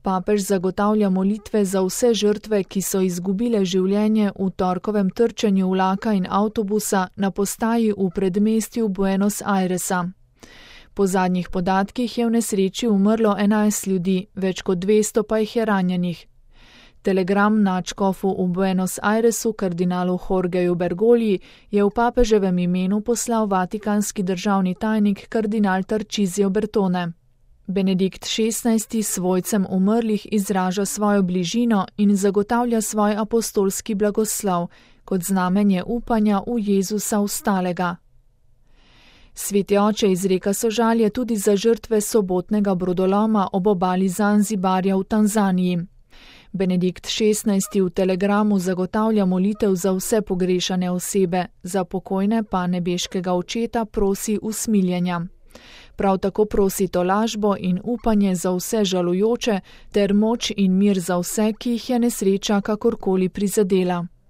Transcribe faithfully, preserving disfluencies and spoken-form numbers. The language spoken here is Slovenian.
Papež zagotavlja molitve za vse žrtve, ki so izgubile življenje v torkovem trčenju vlaka in avtobusa na postaji v predmestju Buenos Airesa. Po zadnjih podatkih je v nesreči umrlo enajst ljudi, več kot dvesto pa jih je ranjenih. Telegram nadškofu v Buenos Airesu, kardinalu Jorgeju Bergogliji, je v papeževem imenu poslal vatikanski državni tajnik kardinal Tarcisio Bertone. Benedikt šestnajsti svojcem umrlih izraža svojo bližino in zagotavlja svoj apostolski blagoslov, kot znamenje upanja v Jezusa vstalega. Sveti oče izreka sožalje tudi za žrtve sobotnega brodoloma ob obali Zanzibarja v Tanzaniji. Benedikt šestnajsti v telegramu zagotavlja molitev za vse pogrešane osebe, za pokojne pa nebeškega očeta prosi usmiljenja. Prav tako prosi tolažbo in upanje za vse žalujoče ter moč in mir za vse, ki jih je nesreča kakorkoli prizadela.